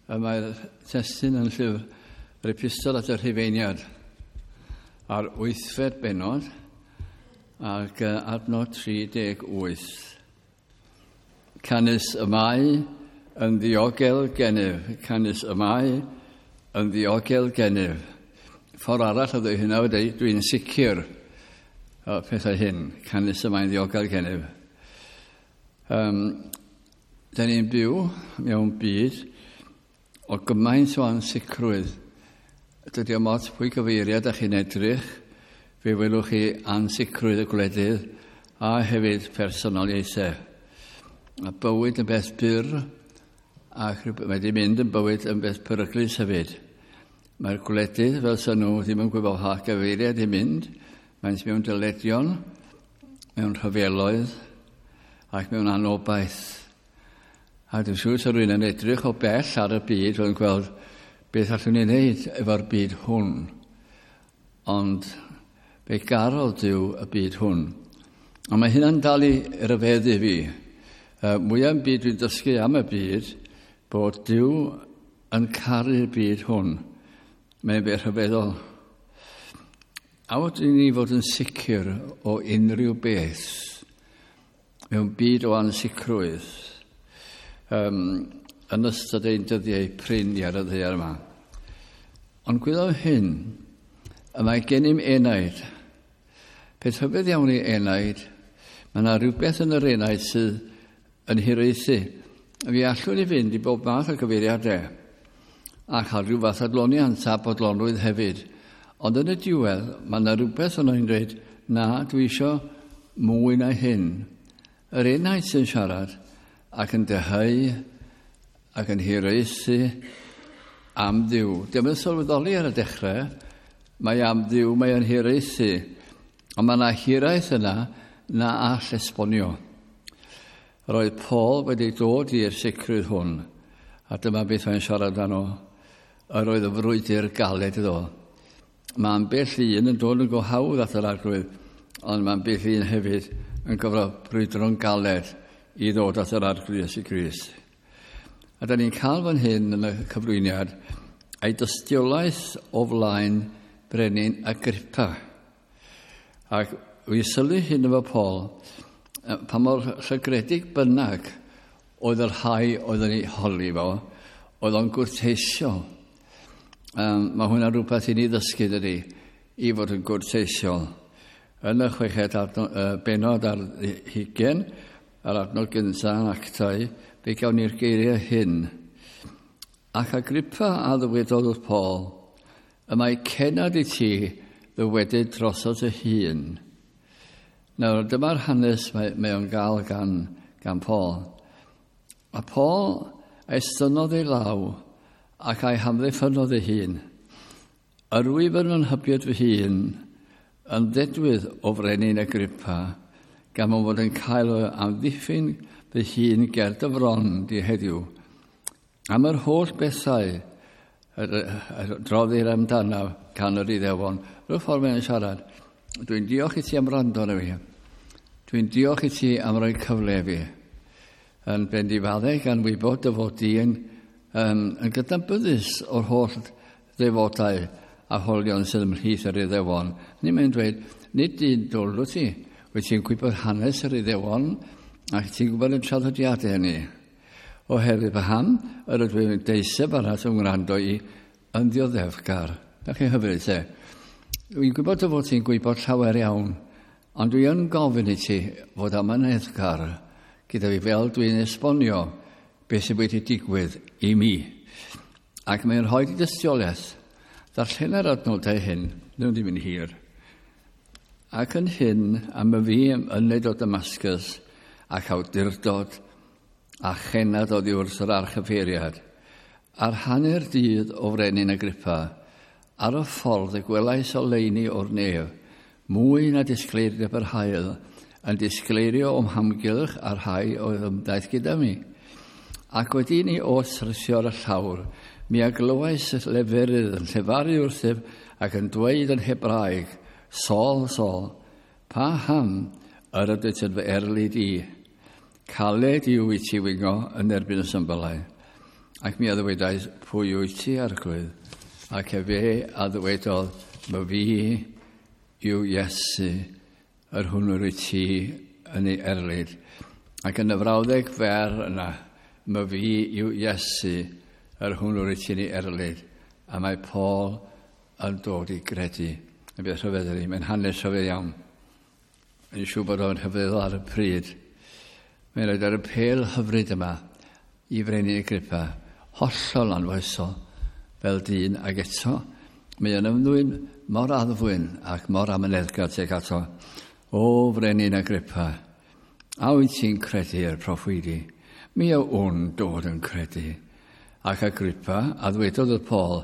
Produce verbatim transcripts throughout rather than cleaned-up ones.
Mae'r testun yn llyfr yr epistol at y Rhufeiniad a'r wythfed bennod ac adnod tri deg wyth. Canys y mae yn ddiogel gennyf, canys y mae yn ddiogel gennyf. Ffordd arall o ddweud hynna wedi, dwi'n sicr o pethau hyn, canys y mae'n ddiogel gennyf. Um, da ni'n byw mewn byd o gymaint o ansicrwydd. Dydy o'm ots pwy gyfeiriad â chi'n edrych, fe welwch chi ansicrwydd y gwledydd a hefyd personoliaethau. A bywyd yn beth byr, ac mae wedi mynd yn bywyd yn beth peryglus hefyd. Mae'r gwledydd, fel sy'n nhw, ddim yn gwybod pa gyfeiriad i mynd. Maent mewn dyledion, mewn rhyfeloedd, ac mewn anobaith. A dwi'n siŵr sy'n rhywun yn edrych o bell ar y byd, yn gweld beth allwn ni wneud efo'r byd hwn. Ond fe garodd Duw y byd hwn. A mae hynna'n dal i ryfeddu fi. Uh, mwyaf yn byd dwi'n dysgu am y byd, bod Duw yn caru'r byd hwn. Mae'n beth rhyfeddol. A fod i ni fod yn sicr o unrhyw beth mewn byd o ansicrwydd um, yn ystod ein dyddiau prin ar y ddaear yma. Ond gwyddom hyn, y mae gennym enaid. Peth rhyfedd iawn i enaid, mae yna rhywbeth yn yr enaid sydd yn hiraethu. Fi allwn i fynd i bob math o gyfeiriadau a chael rhyw fath adloniant a bodlonrwydd hefyd. Ond yn y diwedd, mae yna rhywbeth yn o'n dweud, na, dwi isio mwy na hyn. Yr enaid sy'n siarad ac yn dyheu ac yn hiraethu am Dduw. Dim yn sylweddoli ar y dechrau, mae am Dduw, mae yn hiraethu. Ond mae yna hiraeth yna na all esbonio. Roedd Paul wedi dod i'r sicrwydd hwn, a dyma beth mae'n siarad amdano. Yr oedd y frwydr galed iddo. Mae ambell un yn dod yn go hawdd at yr Arglwydd, ond mae ambell un hefyd yn gyfro brwydro'n galed i ddod at yr Arglwydd Iesu Grist. A da ni'n cael fan hyn yn y cyflwyniad ei dystiolaeth o flaen brenin Agrippa. Ac wy sylwi hyn efo Paul, pa mor llygredig bynnag oedd y rhai oedd yn ei holi fo, oedd o'n gwrteisio. Um, mae hwnna rhywbeth i ni ddysgu dydy, i fod yn gwrteisiol. Yn y chweched adno, uh, benod ar hugain, yr adnod gyntaf yn Actau, fe gawn ni'r geiriau hyn. Ac Agrippa a ddywedodd wrth Paul, y mae cenad i ti ddywedyd drosodd dy hun. Nawr, dyma'r hanes mae, mae o'n gael gan, gan Paul. A Paul estynnodd ei law ac a'i hamddiffynnodd ei hun. Yr wyf yn fy nhybied fy hun yn ddedwydd o frenin Agrippa, gan fod yn cael o amddiffyn fy hun ger dy fron di heddiw. Am yr holl bethau droddir amdanaf gan yr Iddewon. Rhyw ffordd mae'n siarad. Dwi'n diolch i ti am wrando arno fi. Dwi'n diolch i ti am roi cyfle i fi. Yn bendifaddau gan wybod dy fod di yn, um, yn gydnabyddus o'r holl ddefodau a holion sydd ymhlith yr Iddewon. Ni mae'n dweud, nid un dwl wyt ti. Wyt ti'n gwybod hanes yr Iddewon ac ti'n gwybod y traddodiadau hynny. Oherwydd paham yr ydw i'n deiseb arall yn wrando i yn ddioddefgar. Da chi'n hyfryd te. Dwi'n gwybod dy fod ti'n gwybod llawer iawn, ond dwi yn gofyn i ti fod amyneddgar gyda fi fel dwi'n esbonio beth sydd wedi digwydd i mi. Ac mae'n rhoi dystiolaeth. Darllena'r adnodau hyn, nhw'n ddim yn hir. Ac yn hyn, am y fi yned o Damascus ac awdurdod a chenad oddi wrth yr archyfeiriad. Ar hanner dydd o frenin Agrippa, ar y ffordd y gwelais oleuni o'r nef, mwy na disgleirdeb yr haul, yn disgleirio o'm hamgylch a'r rhai oedd ymdaith gyda mi. Ac wedi ni oll syrthio ar y llawr, mi a glywais y leferydd yn llefaru wrthyf ac yn dweud yn Hebraeg, Saul, Saul, paham yr ydych yn fy erlid i? Caled yw i ti wingo yn erbyn y symbylau. Ac mi a ddywedais, pwy wyt ti, Arglwydd? Ac efe a ddywedodd, my fi yw Iesu, yr hwn yr wyt ti yn ei erlid. Ac yn y frawddeg fer yna, my fi yw Iesu, yr hwn yr wyt ti yn ei erlid. A mae Paul yn dod i gredu. Yn beth rhyfedd ydy, mae'n hanes rhyfedd iawn. Mae'n siŵr bod o'n rhyfeddol ar y pryd. Mae'n rhaid ar y pêl hyfryd yma i Frenin Agrippa, hollol anfoesol fel dyn, ac eto mae yn ymddwyn mor addfwyn ac mor amyneddgar tuag ato. O Frenin Agrippa, a wyt ti'n credu i'r proffwydi? Mi a wn dod yn credu. Ac Agrippa, a ddwedodd y Paul,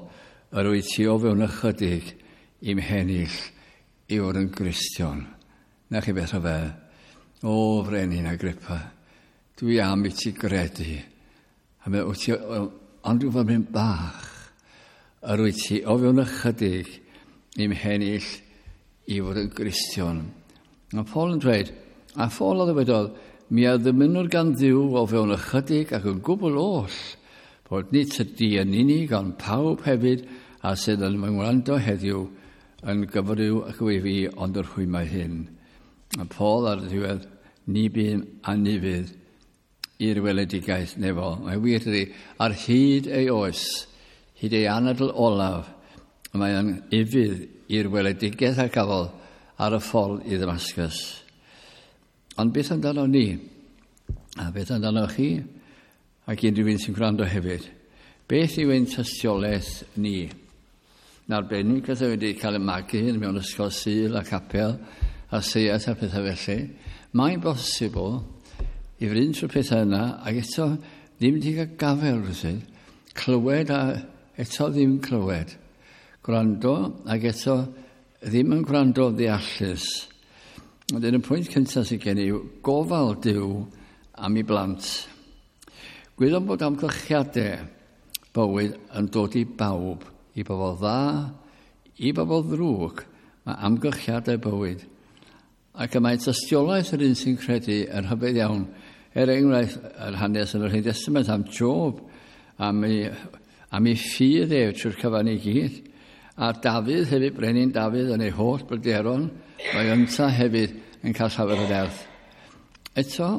yr wyt ti o fewn ychydig i'm hennill i fod yn Gristion. Na chi beth o fe. O Frenin Agrippa, dwi am i ti gredu. A mae wyt ti, ond dwi'n fod yn bach, yr wyt ti o fewn ychydig i'm hennill i fod yn Gristion. A Paul yn dweud, a Paul a ddywedodd, mi a ddymunwr gan Dduw o fewn ychydig ac yn gwbl oll, bod nid tydi yn unig, ond pawb hefyd a sydd yn fy ngwrando heddiw yn gyfryw ac yw fi ond yr rhwymau hyn. A Paul ar y diwedd, ni bum anufudd i'r weledigaeth nefol. Mae wir ydy, ar hyd ei oes, hyd ei anadl olaf, mae yn ufudd i'r weledigaeth a gafodd ar y ffordd i Ddamascus. Ond beth amdano ni? A beth amdano chi? Ac unrhyw un sy'n gwrando hefyd. Beth yw ein tystiolaeth ni? Yn arbennig, os wedi cael y magu mewn ysgol Sul a capel a seiat a pethau felly, mae'n bosibl i fynd trwy'r pethau yna ac eto ddim wedi cael gafael rhywsut, clywed a eto ddim clywed, gwrando ac eto ddim yn gwrando ddeallus. Ond yn y pwynt cyntaf sydd gen i yw gofal Duw am ei blant. Gwyddom bod amgylchiadau bywyd yn dod i bawb, i bobl dda, i bobl ddrwg, mae amgylchiadau bywyd. Ac y mae tystiolaeth yr un sy'n credu yn rhyfedd iawn. Er enghraifft, yr hanes yn yr Hen Testament am Job, am ei, am ei ffydd ef trwy'r cyfan i gyd. A Dafydd hefyd, brenin Dafydd yn ei holl bryderon, mae ynta hefyd yn cael llawer o nerth. Eto,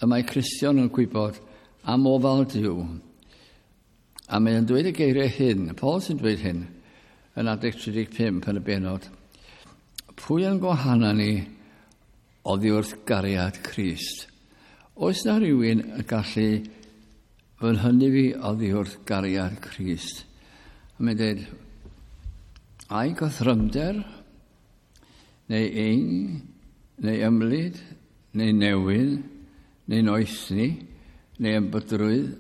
y mae Cristion yn gwybod am ofal Duw. A mae'n dweud y geiriau hyn, Paul sy'n dweud hyn, yn adeg tri deg pump yn y bennod. Pwy yn gwahana ni oddi wrth gariad Crist? Oes na rhywun yn gallu fy nhynnu fi oddi wrth gariad Crist? A mae'n dweud, ai gothrymder, neu ing, neu ymlid, neu newyn, neu noethni, neu ymbydrwydd,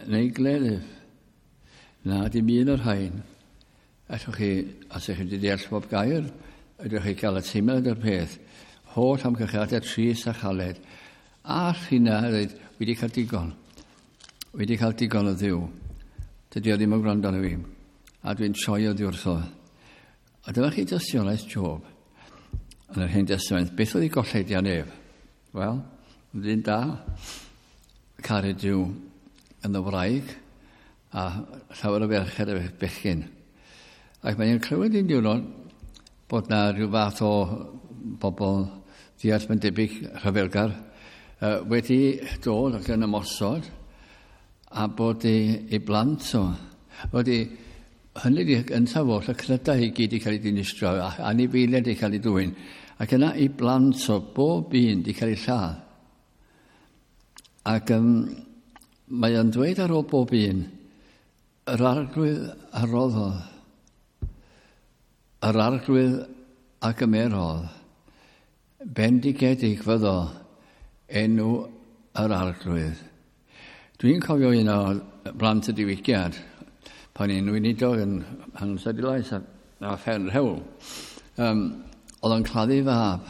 neu gleddyf. Na, dim un o'r rhain. Allwch chi, os ydych chi wedi deall bob gair, ydych chi gael y teimlad o'r peth. Holl amgylchiadau trist a chaled. A rhina, dweud, wedi cael digon. Wedi cael digon o Dduw. Dydy o ddim yn gwrando arno fi. A dwi'n troi oddi wrtho. A dyma chi dystiolaeth Job yn yr Hen Testament. Beth oedd ei golledion ef? Wel, ddyn da, caru Duw yn y wraig, a llawer o ferched a bechgyn. Ac mae'n clywed un diwrnod bod na rhyw fath o bobl ddeall mae'n debyg rhyfelgar wedi dod ac yn ymosod a bod ei, ei blant o. Wedi hynny wedi gyntaf oll y cnydau i gyd i cael ei dinistrio a anifeiliaid i cael ei dwyn. Ac yna ei blant o bob un wedi cael ei lladd. Ac um, mae o'n dweud ar ôl bob un, yr Arglwydd a roddodd, yr Arglwydd a gymerodd, bendigedig fyddo enw yr Arglwydd. Dwi'n cofio un o blant y diwygiad, pan i'n weinidog yn Llanstadilais a, a Ffermrhewl. Um, oedd o'n claddu fab.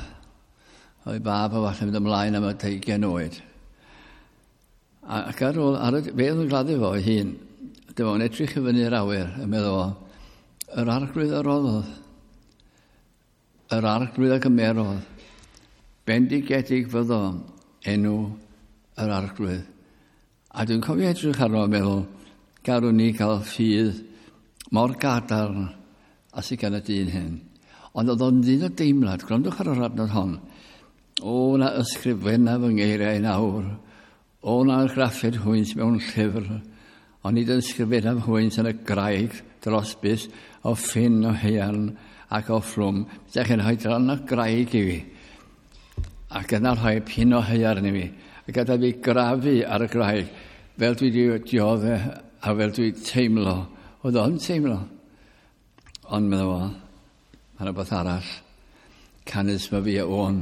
Oedd ei fab o falle mynd ymlaen am y deugain oed. Ac ar ôl, ar y, fe oedd yn gladdu fo ei hun, dyma fo'n edrych i fyny'r awyr, yn meddwl o, yr Arglwydd a roddodd, yr Arglwydd a gymerodd, bendigedig fyddo enw yr Arglwydd. A dwi'n cofio edrych arno a meddwl, Garwn ni gael ffydd mor gadarn a sydd gan y dyn hyn. Ond oedd o'n ddyn o deimlad, gwrandwch ar yr adnod hon. O, na ysgrifenna fy ngeiriau nawr. O, na argraffid hwynt mewn llyfr. Ond nid ysgrifenna hwynt yn y graig dros bys o ffyn o haearn ac o fflwm. Ydych chi'n rhoi dran o graig i fi. Ac yna rhoi pin o haearn i fi. A gadael fi grafu ar y graig fel dwi wedi dioddef a fel dwi teimlo. Oedd o'n teimlo. Ond meddwl fo, mae'n rhywbeth arall. Canys mae fi a wn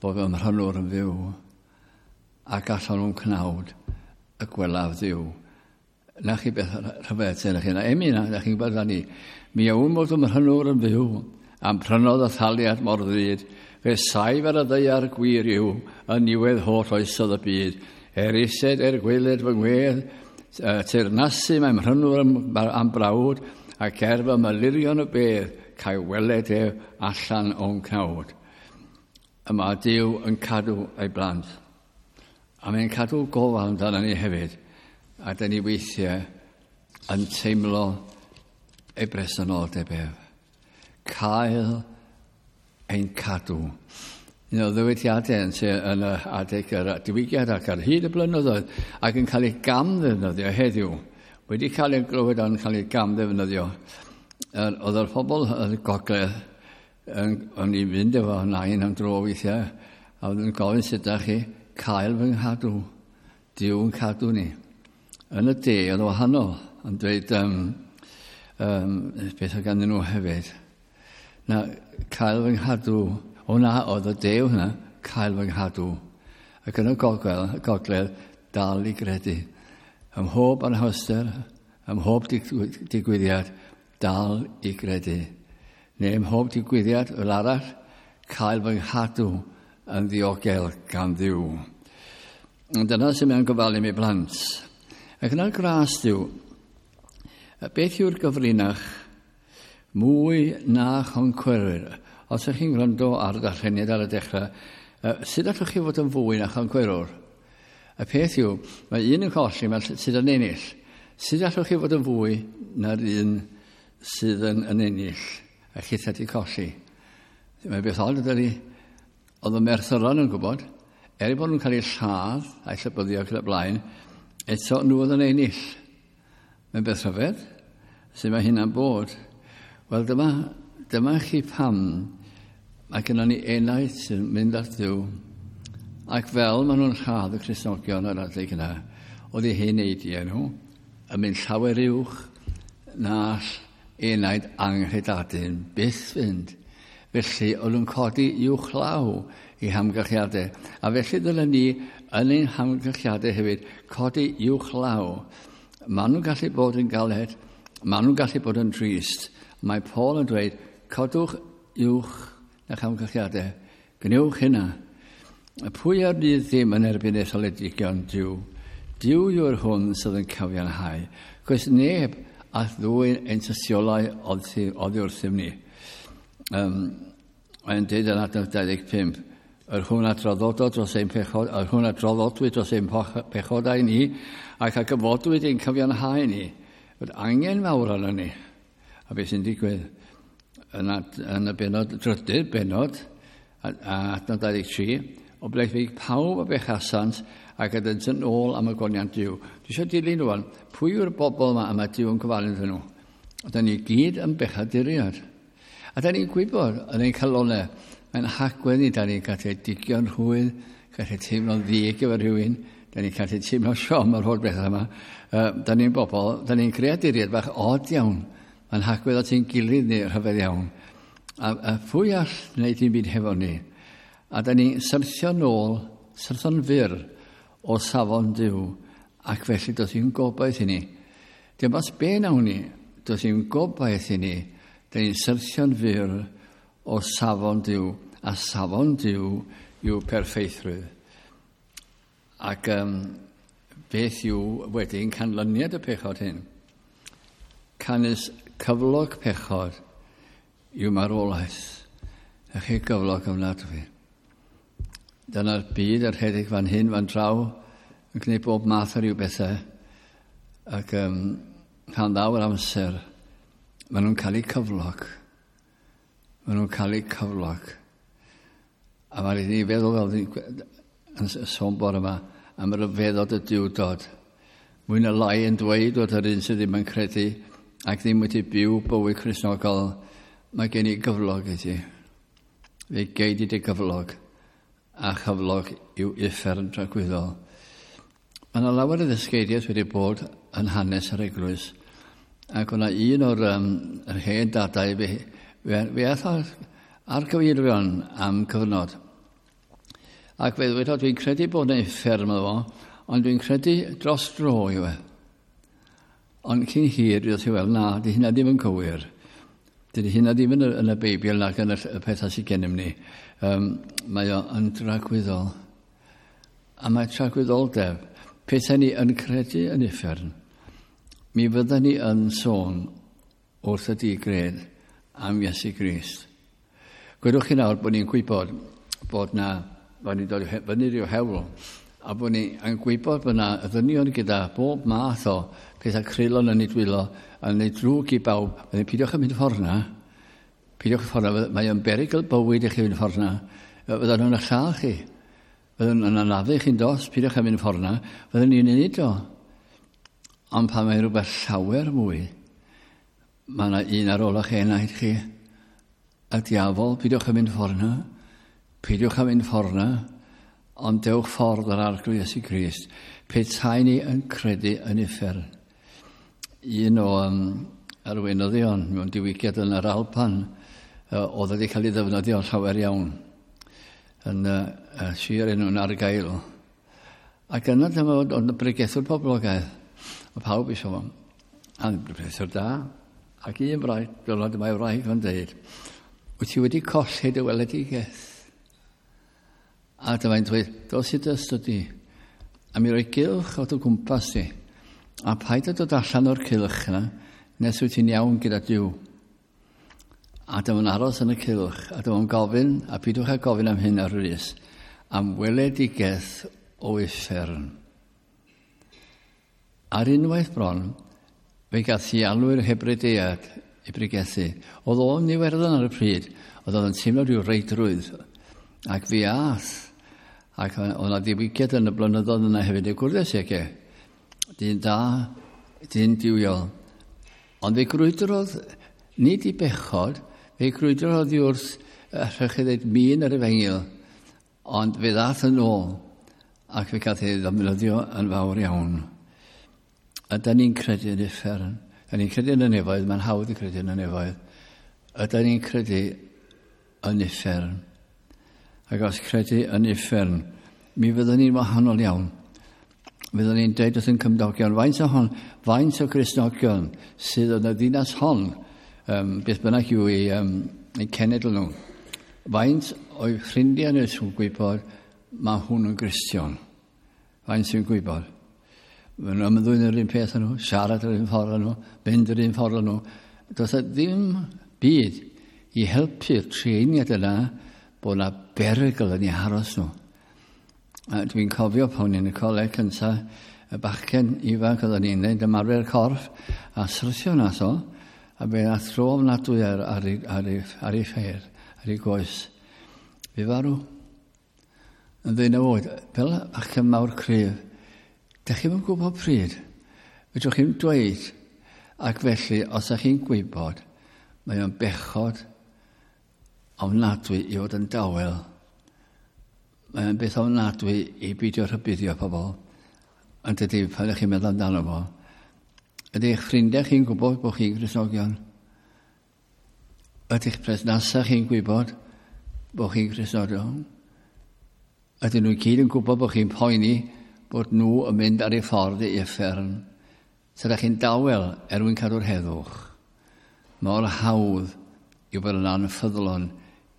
bod fy mhrynwr yn fyw ac allan o'n cnawd y gwelaf Dduw. Na chi beth rhyfedd sy'n chi. Na emi na, na chi'n gwybod ni. Mi a wn bod fy mhrynwr yn fyw am prynodd y thaliad mor ddrud. Fe saif ar y ddaear gwir yw yn niwedd holl oesodd y byd. Er ised, er gweled fy ngwedd, teyrnasu mae mhrynwr am, am brawd, ac er fy melyrion y bedd, cael weled ef allan o'n cnawd. Y mae Duw yn cadw ei blant. A mae'n cadw gofal amdano ni hefyd. A dyn ni weithiau yn teimlo ei bresenoldeb ef. Cael ein cadw. Un o ddywediadau yn, yn y adeg yr diwygiad ac ar hyd y blynyddoedd ac yn cael ei gam ddefnyddio heddiw. Wedi cael ei glywed ond cael ei gam ddefnyddio. Oedd yr pobl yn y gogledd yn, o'n i'n fynd efo nain am dro weithiau a oedd yn gofyn sut ydych chi cael fy nghadw. Duw yn cadw ni. Yn y de oedd wahanol yn dweud um, um, beth oedd ganddyn nhw hefyd. Na, cael fy nghadw. O na, oedd y de hwnna, cael fy nghadw. Ac yn y gogledd, gogledd dal i gredu. Ym mhob anhawster, ym mhob digwyddiad, dal i gredu. Neu ym mhob digwyddiad fel arall, cael fy nghadw yn ddiogel gan Dduw. Ond dyna sy'n mae'n gofalu mi blant. Ac yna'r gras Duw, beth yw'r gyfrinach mwy na choncwerwyr? Os ydych chi'n gwrando ar darlleniad ar y dechrau, sut allwch chi fod yn fwy na choncwerwr? Y peth yw, mae un yn colli, mae sydd yn ennill. Sut allwch chi fod yn fwy na'r un sydd yn, yn ennill a chithau wedi colli? Mae beth od ydy, oedd y merthyron yn gwybod, er eu bod nhw'n cael eu lladd a'i llybyddio ac yn y blaen, eto nhw oedd yn ennill. Mae'n beth rhyfedd, sut mae hynna'n bod. Wel, dyma, dyma chi pam mae gennym ni enaid sy'n mynd at Dduw, ac fel maen nhw'n lladd y Cristnogion ar adeg yna, oedd eu heneidiau nhw yn mynd llawer uwch na all enaid anghredadun byth fynd. Felly, oedd nhw'n codi uwch law i hamgylchiadau. A felly dylen ni yn ein hamgylchiadau hefyd codi uwch law. Maen nhw'n gallu bod yn galed, maen nhw'n gallu bod yn drist. Mae Paul yn dweud, codwch uwch na'ch hamgylchiadau. Gwnewch hynna. Pwy ar fydd ddim yn erbyn etholedigion Duw? Duw yw'r hwn sydd yn cyfiawnhau. Cos neb all ddwyn ein tystiolau oddi wrthym ni. Um, mae'n dweud yn adnod dau ddeg pump, yr hwn a draddodod dros ein pechod, yr hwn a draddodwyd dros ein pechodau ni, ac a gyfodwyd ein cyfiawnhau ni. Fod angen mawr arno ni. A beth sy'n digwydd yn, ad, yn y benod, drydydd benod, a, a adnod dau ddeg tri, o blegfig pawb a bechasant ac ydynt yn ôl am y goniant Duw. Dwi eisiau dilyn rwan, pwy yw'r bobl yma a mae Duw yn gofalu iddyn nhw? Oedden ni gyd yn bechaduriad. A da ni'n gwybod yn ein calonau, mae'n hagwedd ni, da ni'n gallu digio'n rhwydd, gallu teimlo'n ddig efo rhywun, da ni'n gallu teimlo siom ar holl bethau yma. Uh, da ni'n bobl, da ni'n creaduriad bach od iawn. Mae'n hagwedd at ein gilydd ni rhyfedd iawn. A, a pwy all wneud dim byd hefo ni? A da ni'n syrthio nôl, syrthio'n fyr o safon Duw, ac felly does dim gobaith i ni. Dim ots be nawn ni, does dim gobaith i ni. Da ni'n syrthio'n fyr o safon Duw, a safon Duw yw perffeithrwydd. Ac um, beth yw wedyn canlyniad y pechod hyn? Canys cyflog pechod yw marwolaeth. A chi gyflog ofnadwy. Dyna'r byd yr rhedeg fan hyn, fan draw, yn gwneud bob math o ryw bethau. Ac um, pan ddaw yr amser, maen nhw'n cael eu cyflog. Maen nhw'n cael eu cyflog. A mae'n rhaid i ni feddwl fel yn sôn bore yma am ryfeddod y Duwdod. Mwy na lai yn dweud wrth yr un sydd ddim yn credu ac ddim wedi byw bywyd Cristnogol, mae gen i gyflog i ti. Fe gei di dy gyflog, a chyflog yw uffern tragwyddol. Mae yna lawer o ddysgeidiaeth wedi bod yn hanes yr eglwys, ac o'na un o'r um, yr hen dadau fe, fe, fe ath ar, ar gyfeirion am cyfnod. Ac fe ddwedodd, dwi'n credu bod yna uffern iddo fo, ond dwi'n credu dros dro yw e. Ond cyn hir, dwi'n dweud, wel, na, di hynna ddim yn cywir. Dydy hynna ddim yn y, yn y Beibl nac yn y, y pethau sydd gennym ni. Um, mae o yn dragwyddol. A mae tragwyddoldeb, pethau ni yn credu yn uffern, mi fydden ni yn sôn wrth y digred am Iesu Grist. Gwedwch chi nawr bod ni'n gwybod bod na, bod ni'n dod fyny rhyw hewl, a bod ni yn gwybod bod na ddynion gyda bob math o pethau creulon yn ei dwylo, yn ei drwg i bawb. Wedyn, peidiwch yn mynd ffordd na. Peidiwch ffordd na. Mae o'n berygl bywyd i chi fynd ffordd na. Fyddan nhw'n eich lladd chi. Fyddan nhw'n anafu chi'n dos. Peidiwch yn mynd ffordd na. Fyddan ni'n neud o. Ond pan mae rhywbeth llawer mwy, mae yna un ar ôl eich enaid chi. Y diafol, peidiwch yn mynd ffordd na. Peidiwch yn mynd ffordd na. Ond dewch ffordd yr Arglwydd Iesu Grist. Petai ni yn credu yn uffern. Un o um, arweinyddion mewn diwygiad yn yr Alban, uh, oedd wedi cael ei ddefnyddio llawer iawn yn uh, uh, sir enw'n Argael. Ac yna dyma oedd yn bregethwr poblogaidd. Mae pawb eisiau fo. A'n bregethwr da. Ac un wraig, diwrnod dyma ei wraig yn dweud, wyt ti wedi colli dy weledigaeth? A dyma'n dweud, dos i dy ystod di, a mi roi gylch o dy gwmpas di, a paid â dod allan o'r cylch yna, nes wyt ti'n iawn gyda Duw. A dyma'n aros yn y cylch, a dyma'n gofyn, a peidiwch â gofyn am hyn ar frys, am weledigaeth o uffern. Ar unwaith bron, fe gath ei alw i'r Hebridead i bregethu. Oedd o'n Iwerddon ar y pryd, oedd o'n teimlo rhyw reidrwydd, ac fi ath. Ac oedd yna ddiwygiad yn y blynyddoedd yna hefyd i gwrdd ag e. Dyn da, dyn duwiol. Ond fe grwydrodd, nid i bechod, fe grwydrodd i wrth, allwch chi ddweud, min yr efengyl, ond fe ddath yn ôl, ac fe gath ei ddefnyddio yn fawr iawn. A da ni'n credu yn uffern. Da ni'n credu yn y nefoedd, mae'n hawdd i credu yn y nefoedd. A da ni'n credu yn uffern. Ac os credu yn uffern, mi fyddwn ni'n wahanol iawn. Fyddwn ni'n dweud wrth yn cymdogion, faint o hon, faint o Gristnogion sydd yn y ddinas hon, um, beth bynnag yw ei, um, ei cenedl nhw. Faint o'i ffrindiau nhw sy'n gwybod mae hwn yn Gristion. Faint sy'n gwybod. Maen nhw'n ymddwyn yr un peth â nhw, siarad yr un ffordd â nhw, mynd yr un ffordd â nhw. Does e ddim byd i helpu'r treiniad yna bod yna berygl yn eu haros nhw. A dwi'n cofio pan o'n i'n y coleg cyntaf, y bachgen ifanc oedden ni'n neud ymarfer corff, a syrthio nath o, a fe nath dro ofnadwy ar, ar, ar, ar, ei, ar ei ffeir, ar ei goes. Fe farw. Yn ddeunaw oed, fel bachgen mawr cryf, dach chi'm yn gwybod pryd. Fedrwch chi'n dweud, ac felly, os ydych chi'n gwybod, mae o'n bechod ofnadwy i fod yn dawel. Mae o'n beth ofnadwy i beidio rhybuddio pobl. Ond dydy, pan ydych chi'n meddwl amdano fo, ydy eich ffrindiau chi'n gwybod bod chi'n Gristnogion? Ydy'ch perthnasau chi'n gwybod bod chi'n Gristnogion? Ydyn nhw gyd yn gwybod bod chi'n poeni bod nhw yn mynd ar eu ffordd i uffern? Tydych chi'n dawel er mwyn cadw'r heddwch. Mor hawdd i fod yn anffyddlon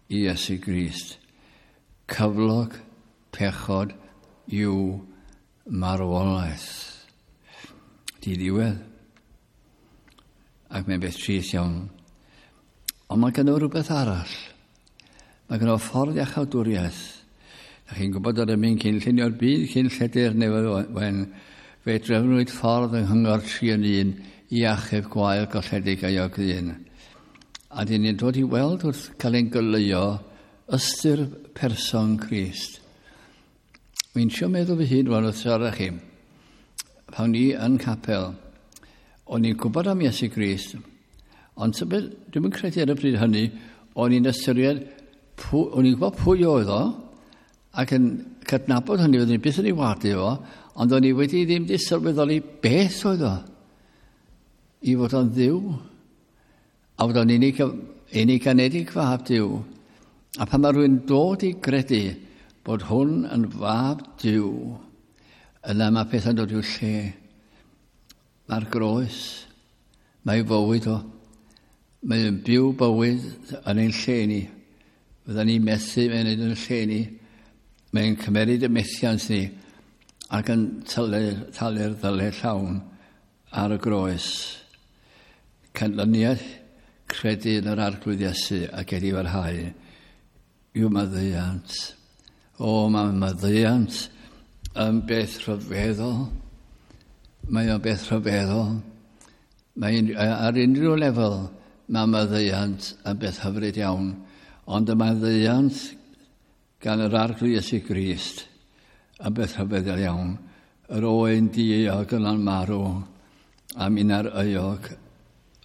i Iesu Grist. Cyflog pechod yw marwolaeth. Di ddiwedd. Ac mae'n beth trist iawn. Ond mae gynno rhywbeth arall. Mae gynno ffordd iachawdwriaeth. Da chi'n gwybod yr emyn cyn llunio'r byd, cyn lledu'r nefoedd wen. Fe drefnwyd ffordd yng nghyngor tri yn un i achub gwael golledig a iog ddyn. A dyn ni'n dod i weld wrth cael ein goleuo ystyr person Crist. Wy'n trio meddwl fy hun rwan wrth siarad chi. Pan ni yn capel, o'n i'n gwybod am Iesu Grist, ond tybed, dwi'm yn credu ar y pryd hynny, o'n i'n ystyried, o'n i'n gwybod pwy oedd o, ac yn cydnabod hynny, oeddwn i byth yn ei wadu fo, ond o'n i wedi ddim di sylweddoli beth oedd o. I fod o'n Dduw, a fod o'n unig, unig anedig fab Duw. A pan mae rhywun dod i gredu bod hwn yn fab Duw, yna mae pethau'n dod i'w lle. Mae'r groes, mae fywyd o. Mae'n byw bywyd yn ein lle ni. Fydda ni'n methu mae'n yn lle ni. Mae'n cymeryd y methiant ni ac yn talu'r talu ddyled llawn ar y groes. Canlyniad credu yn yr Arglwydd Iesu ac edifarhau yw maddeuant. O, mae maddeuant yn beth rhyfeddol. Mae o'n beth rhyfeddol. Mae ar unrhyw lefel mae maddeuant yn beth hyfryd iawn. Ond y maddeuant gan yr Arglwydd Iesu Grist yn beth rhyfeddol iawn. Yr oen dieuog yna'n marw a minna'r euog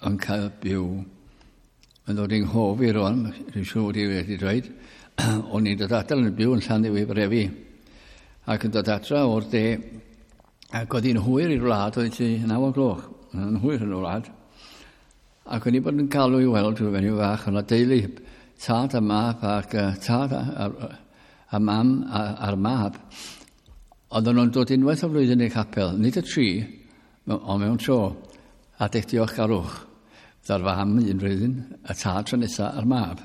yn cael byw. Mae'n dod i'n nghof i rwan, dwi'n siŵr bod i wedi dweud, o'n i'n dod adra yn byw yn Llanddewi Brefi, ac yn dod adra o'r de, ac oedd hi'n hwyr i'r wlad, oedd hi naw o gloch, yn hwyr yn y wlad, ac o'n i bod yn galw i weld rhyw fenyw fach, o'na deulu, tad a mab, ac uh, tad a, a, a mam a, a'r mab, oedden nhw'n dod unwaith o flwyddyn i'r capel, nid y tri, ond mewn tro, adeg diolchgarwch. Fydda'r fam un flwyddyn, y tad tro nesaf a'r mab.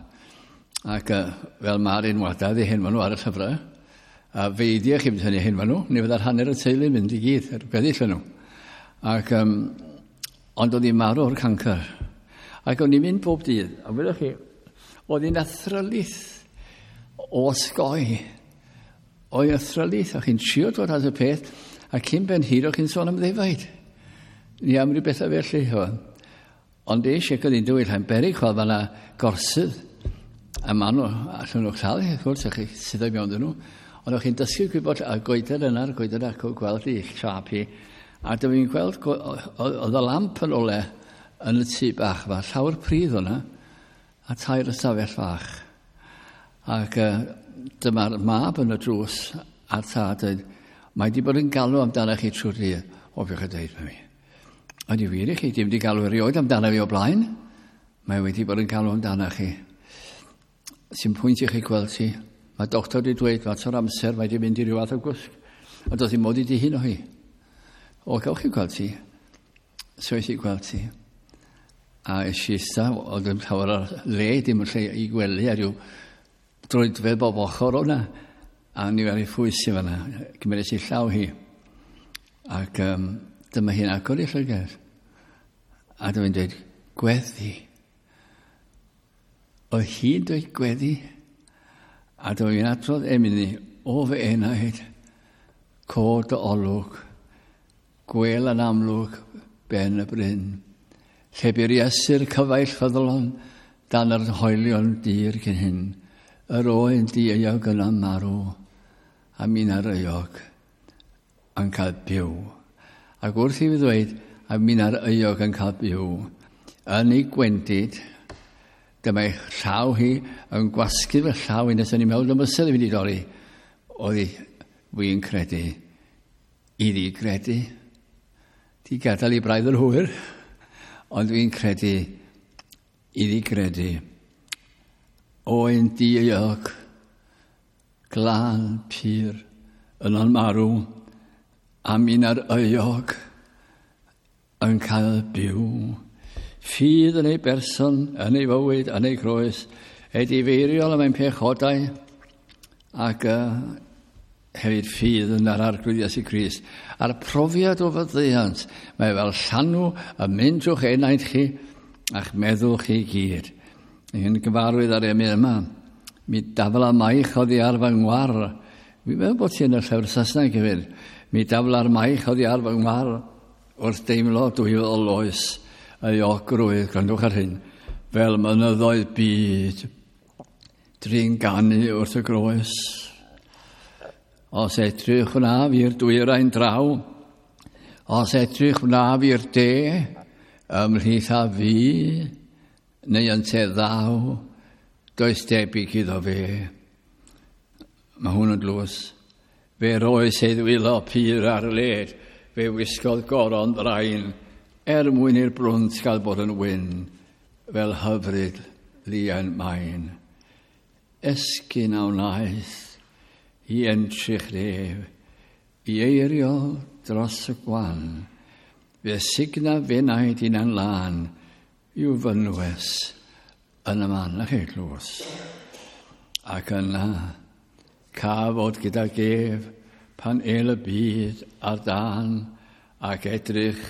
Ac uh, fel mae'r enwadau 'di henwa nhw ar y llyfrau, a feidia chi mynd hynny henwa nhw, ni fydda'r hanner y teulu mynd i gyd, yr gweddill nhw. Ac, um, ond oedd hi'n marw o'r cancr. Ac o'n i'n mynd bob dydd, a wyddoch chi, oedd hi'n athrylith o osgoi. Oedd athrylith, o'ch chi'n trio dod at y peth, a cyn ben hir o'ch chi'n sôn am ddefaid. Ni am ryw bethau felly. Ond eisiau oedd hi'n dwyll, ha'n berig chwal fan'na gorsydd. A maen nhw, allan nhw'ch lladd, wrth gwrs, o'ch chi sydd o'i mewn nhw. Ond o'ch chi'n dysgu gwybod y goeden yna'r goeden ac o'ch gweld i siâp hi. A dyma fi'n gweld, oedd y lamp yn ole yn y tŷ bach fa, llawr pridd o'na, a tair ystafell fach. Ac uh, dyma'r mab yn y drws a'r tad dweud, mae di bod yn galw amdano chi trwy'r dydd. O, fi'ch yn dweud mi. Ond i wir i chi, dim di galw erioed amdano fi o blaen. Mae wedi bod yn galw amdano chi. Sy'n pwynt i chi gweld ti. Mae doctor wedi dweud, mae o'r amser, mae wedi mynd i ryw fath o gwsg. Ond doedd ddim modd i di hun o hi. O, gawch chi gweld ti. So eis i gweld ti. A es i ista, oedd yn llawer ar le, dim yn lle i gwely, a rhyw droedfedd bob ochr o'na. A ni ar ei phwys i fan'na. Cymeres i llaw hi. Ac um, dyma hi'n agor i llygad. A dyma hi'n dweud, gweddi. Oedd hi'n dweud gweddi. A dyma hi'n adrodd emyn i, o fy enaid, cod dy olwg, gwel yn amlwg ben y bryn. Lle bu'r Iesu'r cyfaill ffyddlon dan yr hoelion dir cyn hyn. Yr oen dieuog yna marw, a minna'r euog yn cael byw. Ac wrth i fi ddweud, a minna'r euog yn cael byw, yn ei gwendid, dyma ei llaw hi yn gwasgu fy llaw i nes o'n i'n meddwl y mysedd i fynd i dorri. Oedd hi, wy'n credu, iddi gredu. Di gadael i braidd yn hwyr, ond dwi'n credu iddi gredu. Oen dieuog, glân, pur, yno'n marw, a minna'r euog yn cael byw. Ffydd yn ei berson, yn ei fywyd, yn ei groes, edifeiriol am ein pechodau, ac uh, hefyd ffydd yn yr Arglwydd Iesu Grist. A'r profiad o faddeuant, mae fel llanw yn mynd drwy'ch enaid chi a'ch meddwl chi gyd. Yn gyfarwydd ar emyn yma, mi dafla maich oddi ar fy ngwar. Fi'n meddwl bod ti yn y llyfr Saesneg hefyd. Mi dafla'r maich oddi ar fy ngwar wrth deimlo dwylo loes ei ogrwydd, gwrandwch ar hyn, fel mynyddoedd byd, drin ganu wrth y groes. Os edrych wnaf i'r dwyrain draw, os edrych wnaf i'r de, ymhlith a fi, neu ynte ddaw, does debyg iddo fe. Mae hwn yn dlws. Fe roes ei ddwylo pur ar led, fe wisgodd goron ddrain, er mwyn i'r brwnt gael bod yn wyn, fel hyfryd lian main. Esgyn a wnaeth i entrych nef, i eirio dros y gwan, fe signa fenaid unan lân, i'w fynwes yn y man. Na chi, glws. Ac yna, ca fod gyda gef pan el y byd ar dan ac edrych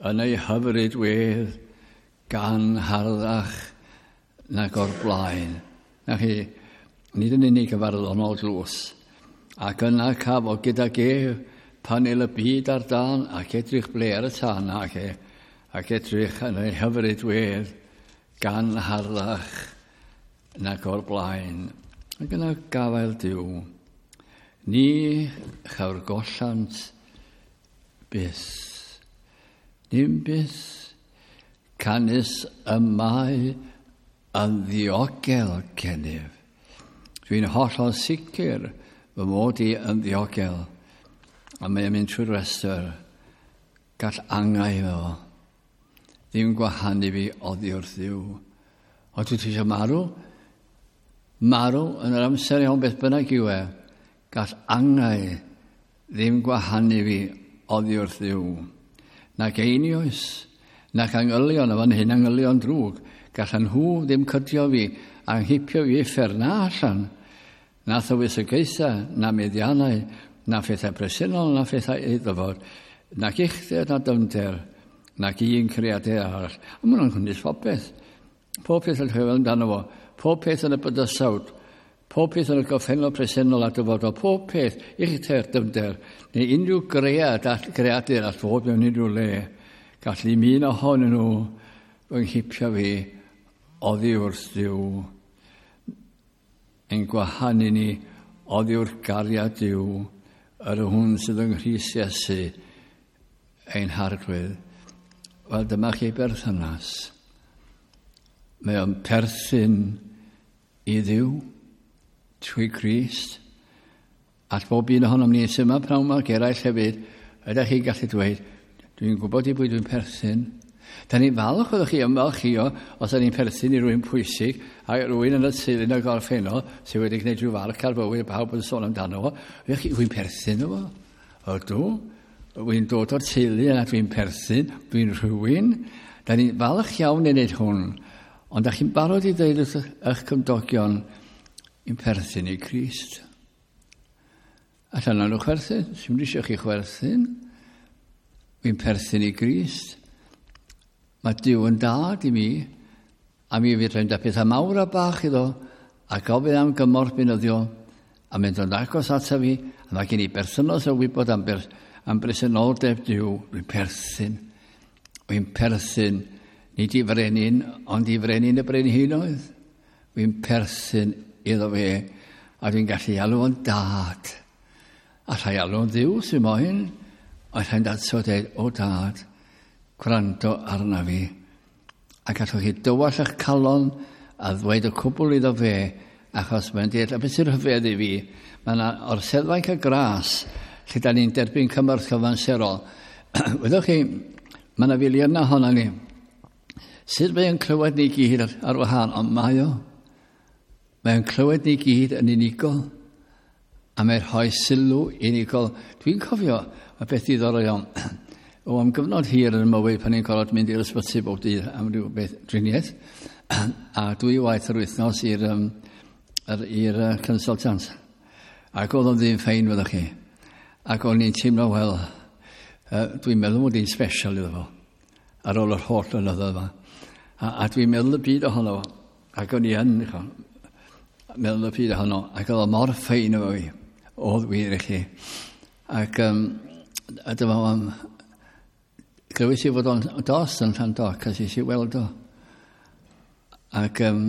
yn ei hyfryd wedd gan harddach nag o'r blaen. Na chi, nid yn unig y farddonol glws. Ac yna ca fod gyda gef pan el y byd ar dan ac edrych ble ar y tân ac, e, ac edrych yn ei hyfryd wedd gan harddach nag o'r blaen. Ac yna gafael Duw. Ni chawr gollant byth. Dim byth. Canys y mae yn ddiogel gennyf. Dwi'n hollol sicr fy mod i yn ddiogel. A mae yn mynd trwy'r restr. Gall angau fo. Ddim gwahanu fi oddi wrth Dduw. O, dwi eisiau marw? Marw yn yr amser iawn beth bynnag yw e, gall angau ddim gwahanu fi oddi wrth Dduw. Nac einioes, nac angylion, a fan hyn angylion drwg, gallan nhw ddim cydio fi, anghipio fi uffern na allan, na thywysogaethau, na meddiannau, na phethau presennol, na phethau iddo fod, nac uchder, na dyfnder, nac un creadur arall. A maen nhw'n cynnwys popeth. Pob peth yn rhyfel amdano fo. Pob peth yn y bydysawd, pob peth yn y gorffennol presennol a dyfodol, pob peth, uchder, dyfnder, neu unrhyw gread, greadur all fod mewn unrhyw le, gall ddim un ohonyn nhw fy nghipio fi oddi wrth Dduw. Ein gwahanu ni oddi wrth gariad Duw, yr hwn sydd yng Nghrist Iesu, ein harglwydd. Wel, dyma chi berthynas. Mae o'n perthyn i Dduw trwy Grist. All bob un ohonom ni sy'n yma pnawn yma ac eraill hefyd, ydych chi'n gallu dweud, dwi'n gwybod i bwy dwi'n perthyn. Da ni'n falch oeddech chi ymfalchio os da ni'n perthyn i rywun pwysig a rywun yn y teulu yn y gorffennol sydd wedi gwneud rhyw farc ar fywyd pawb yn sôn amdano fo. Ydych chi, dwi'n perthyn o fo? Ydw. Dwi'n dod o'r teulu yna, dwi'n perthyn, dwi'n rhywun. Da ni'n falch iawn i wneud hwn. Ond da chi'n barod i ddeud wrth eich cymdogion i'n perthyn i Grist. Allan nhw chwerthin, sy'n eisiau chi chwerthin. Dwi'n perthyn i Grist. Mae Duw yn dad i mi, a mi fydd rhaid pethau mawr a bach iddo, a gofyn am gymorth beunyddiol, a mynd yn agos ato fi, a mae gen i berthynas o wybod am, ber, am bresenoldeb Duw. Dwi'n perthyn. Dwi'n perthyn, nid i frenin, ond i frenin y brenhinoedd. Dwi'n perthyn iddo fe, a dwi'n gallu alw o'n dad. A rhai alw o'n Dduw sy'n moyn, a rhai'n datso dweud, o dad, gwrando arna fi. A gallwch chi dywall eich calon a ddweud y cwbl iddo fe, achos mae'n deall, a beth sy'n rhyfedd i fi, mae yna orseddfainc y gras, lle da ni'n derbyn cymorth cyfanserol. Wyddoch chi, mae yna filiynau ohono ni. Sut mae o'n clywed ni gyd ar, ar wahân, ond mae o. Mae o'n clywed ni gyd yn unigol, a mae'n rhoi sylw unigol. Dwi'n cofio, mae beth diddorol iawn. O, am gyfnod hir yn y mywyd pan i'n gorfod mynd i'r ysbyty bob dydd am ryw beth driniaeth, a dwy waith yr wythnos i'r um, i'r uh, consultant. Ac oedd o'n ddyn ffein, fyddwch chi. Ac o'n i'n teimlo, wel, uh, dwi'n meddwl mod i'n special iddo fo, ar ôl yr holl flynyddoedd yma. A, a dwi'n meddwl y byd ohono fo. Ac o'n i yn, meddwl y byd ohono. Ac oedd o mor ffein efo fi. Oedd wir i chi. Ac um, A dyma o'n... Glywys i fod o'n dost yn Llandoc, a es i weld o. Ac um,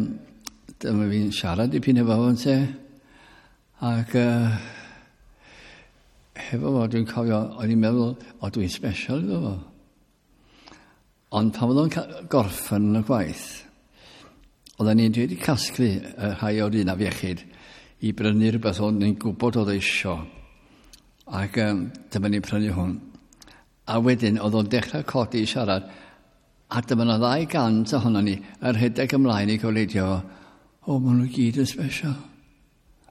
dyma fi'n siarad dipyn efo fo'n te. Ac uh, hefo fo, dwi'n cofio, o'n i'n meddwl, o, dwi'n special iddo fo. Ond pan oedd o'n gorffen yn y gwaith, oedden ni'n wedi casglu y rhai o'r un afiechyd i brynu rhywbeth o'n ni'n gwybod oedd eisio. Ac um, dyma ni'n prynu hwn. A wedyn oedd o'n dechrau codi i siarad, a dyma yna ddau gant ohono ni yn rhedeg ymlaen i goleidio fo. O, maen nhw gyd yn special.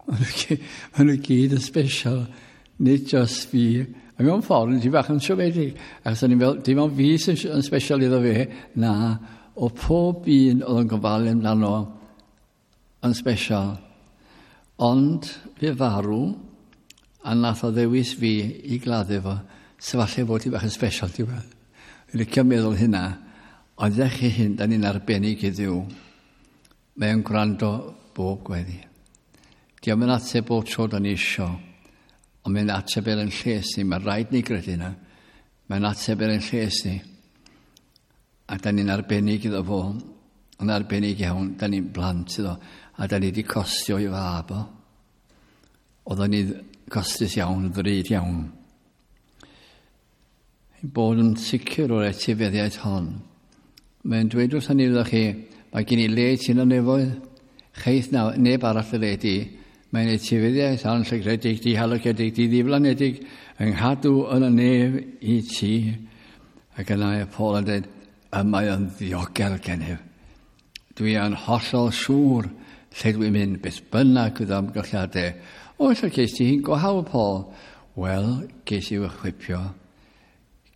Maen nhw, maen nhw gyd yn special. Nid just fi. A mewn ffordd, nes i bach yn siomedig. Achos o'n i'n fel, dim ond fi sy'n yn special iddo fe. Na, o pob un oedd yn gofalu amdano yn special. Ond fe farw, a nath o ddewis fi i gladdu fo. So falle fod i bach yn special, ti'n gwybod. Dwi'n licio meddwl hynna. Ond ydych chi hyn, da ni'n arbennig i Dduw. Mae o'n gwrando bob gweddi. Dio'm yn ateb bob tro da ni isio, ond mae'n ateb er yn lles ni. Mae rhaid ni gredu yna. Mae'n ateb er yn lles ni. A da ni'n arbennig iddo fo, yn arbennig iawn, da ni'n blant iddo, a da ni wedi costio i fab o. Oedden ni costus iawn, ddrud iawn. Ein bod yn sicr o'r etifeddiaeth hon. Mae'n dweud wrthon ni, ydych chi, mae gen i le ti yn y nefoedd, cheith na, neb arall y le di. Mae'n etifeddiaeth anllygredig, dihalogedig, diddiflanedig, yng nghadw yn y nef i ti. Ac yna y Paul yn dweud, y mae yn ddiogel gennyf. Dwi yn hollol siŵr lle dwi'n mynd, beth bynnag fydd amgylchiadau. O, lle ces ti hi'n go hawdd, Paul? Wel, ces i fy chwipio.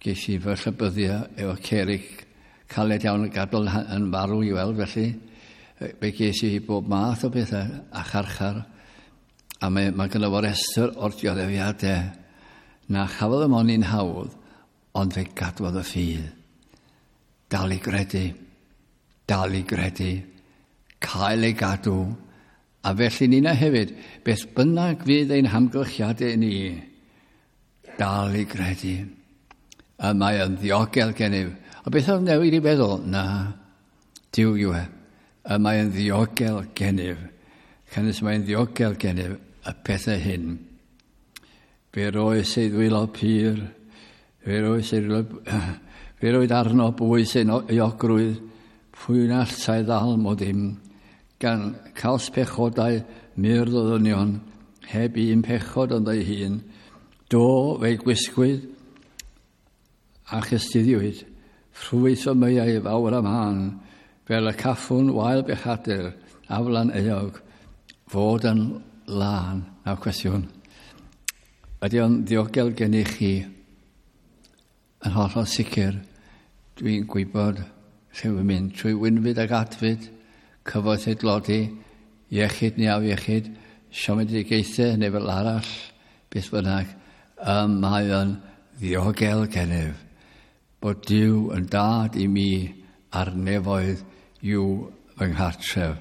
Ces i fy llybyddio efo cerig caled iawn yn gadael yn farw i weld, felly. Fe ges i bob math o bethau a charchar. A mae, mae gynno fo restr o'r dioddefiadau. Na chafodd y mon i'n hawdd, ond fe gadwodd y ffydd. Dal i gredu, dal i gredu, cael ei gadw. A felly nina hefyd, beth bynnag fydd ein hamgylchiadau ni, dal i gredu. A mae yn ddiogel gennyf. A beth oedd newid i feddwl? Na, Duw yw e. Y mae yn ddiogel gennyf. Canys mae'n ddiogel gennyf y pethau hyn. Fe roes ei ddwylo pur, fe roes ei ddwylo, fe roed arno bwys ei euogrwydd, pwy na allai ddal mo ddim, gan caws pechodau myrdd o ddynion, heb un pechod ond ei hun. Do, fe'i gwisgwyd a chystuddiwyd, ffrwyth o meiau fawr am han, fel y caffwn wael bechadur, aflan euog, fod yn lân. Nawr cwestiwn, ydy o'n ddiogel gennych chi? Yn hollol sicr, dwi'n gwybod lle wy'n mynd, trwy wynfyd ac adfyd, cyfoeth ei dlodi, iechyd neu afiechyd, siomedigaethau neu fel arall, beth bynnag, y mae o'n ddiogel gennyf, bod Duw yn dad i mi a'r nefoedd yw fy nghartref.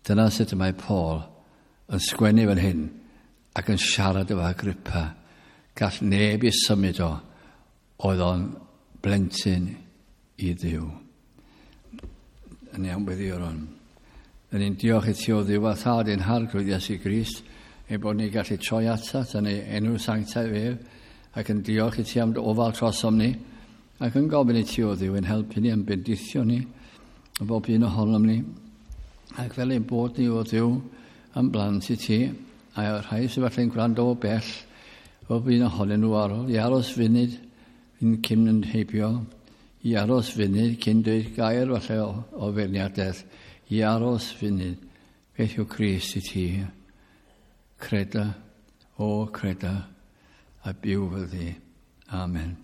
Dyna sut y mae Paul yn sgwennu fan hyn ac yn siarad efo Agrippa. Gall neb i symud o, oedd o'n blentyn i Dduw. Yn iawn weddi o'r hwn. Yn ni'n diolch i ti o Dduw a Thad ein Harglwydd Iesu Grist, ein bod ni'n gallu troi atat yn ei enw sanctaidd ef, ac yn diolch i ti am dy ofal trosom ni, ac yn gofyn i ti o Dduw yn helpu ni, yn bendithio ni, y bob un ohonom ni, ac fel ein bod ni o Dduw yn blant i ti, a rhai sydd falle'n gwrando o bell, bob un ohonyn nhw ar ôl, i aros funud yn cyn yn heibio, i aros funud cyn dweud gair falle o, o feirniadaeth, i aros funud, beth yw Crist i ti? Creda, o creda, a byw fel di. Amen.